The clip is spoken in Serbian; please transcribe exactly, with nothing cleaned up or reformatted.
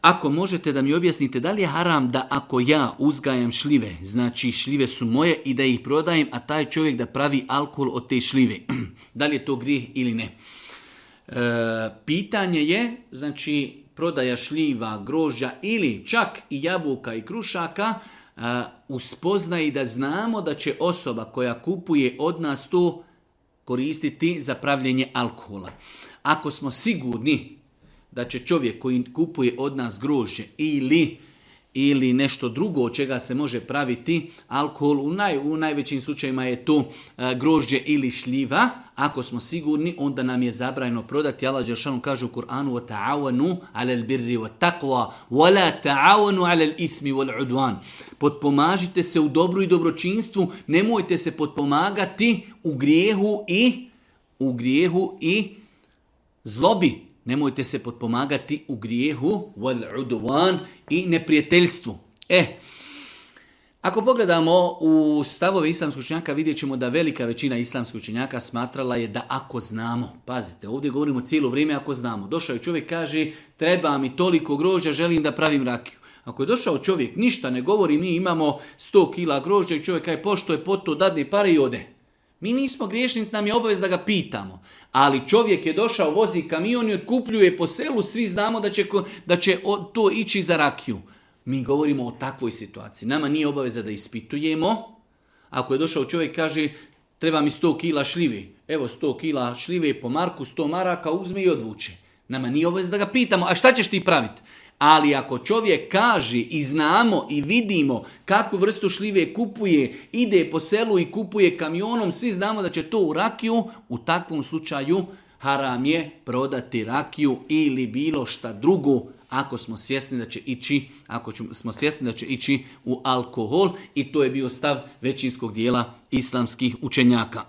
Ako možete da mi objasnite da li je haram da ako ja uzgajam šljive, znači šljive su moje i da ih prodajem, a taj čovjek da pravi alkohol od te šljive. Da li je to grijeh ili ne? E, pitanje je, znači, prodaja šljiva, grožđa ili čak i jabuka i krušaka, e, uspoznaje da znamo da će osoba koja kupuje od nas to koristiti za pravljenje alkohola. Ako smo sigurni da će čovjek koji kupuje od nas grožđe ili, ili nešto drugo od čega se može praviti alkohol, u, naj, u najvećim slučajima je to e, grožđe ili šljiva, ako smo sigurni, onda nam je zabranjeno prodati. Allah dželešanu kaže u Kur'anu: وَتَعَوَنُوا عَلَى الْبِرِّ وَالتَّقْوَى وَلَا تَعَوَنُوا عَلَى الْإِثْمِ وَالْعُدْوَانِ. Potpomažite se u dobru i dobročinstvu, nemojte se potpomagati u grijehu i u grijehu i zlobi. Nemojte se potpomagati u grijehu wal udwan i neprijateljstvu. E, ako pogledamo u stavove islamskog učenjaka, vidjet ćemo da velika većina islamskog učenjaka smatrala je da ako znamo, pazite, ovdje govorimo cijelo vrijeme ako znamo. Došao je čovjek, kaže, treba mi toliko grožđa, želim da pravim rakiju. Ako je došao čovjek, ništa ne govori, mi imamo sto kila grožđa i čovjek kaže, pošto je poto, dadne pare i ode. Mi nismo griješni, nam je obavez da ga pitamo. Ali čovjek je došao, vozi kamion i otkupljuje po selu, svi znamo da će, da će to ići za rakiju. Mi govorimo o takvoj situaciji. Nama nije obaveza da ispitujemo. Ako je došao čovjek, kaže, treba mi sto kila šljivi. Evo sto kila šljive po marku, sto maraka, uzme i odvuče. Nama nije obaveza da ga pitamo, a šta ćeš ti praviti? Ali ako čovjek kaže i znamo i vidimo kakvu vrstu šljive kupuje, ide po selu i kupuje kamionom, svi znamo da će to u rakiju, u takvom slučaju haram je prodati rakiju ili bilo šta drugo ako smo svjesni da će ići, ako smo svjesni da će ići u alkohol, i to je bio stav većinskog dijela islamskih učenjaka.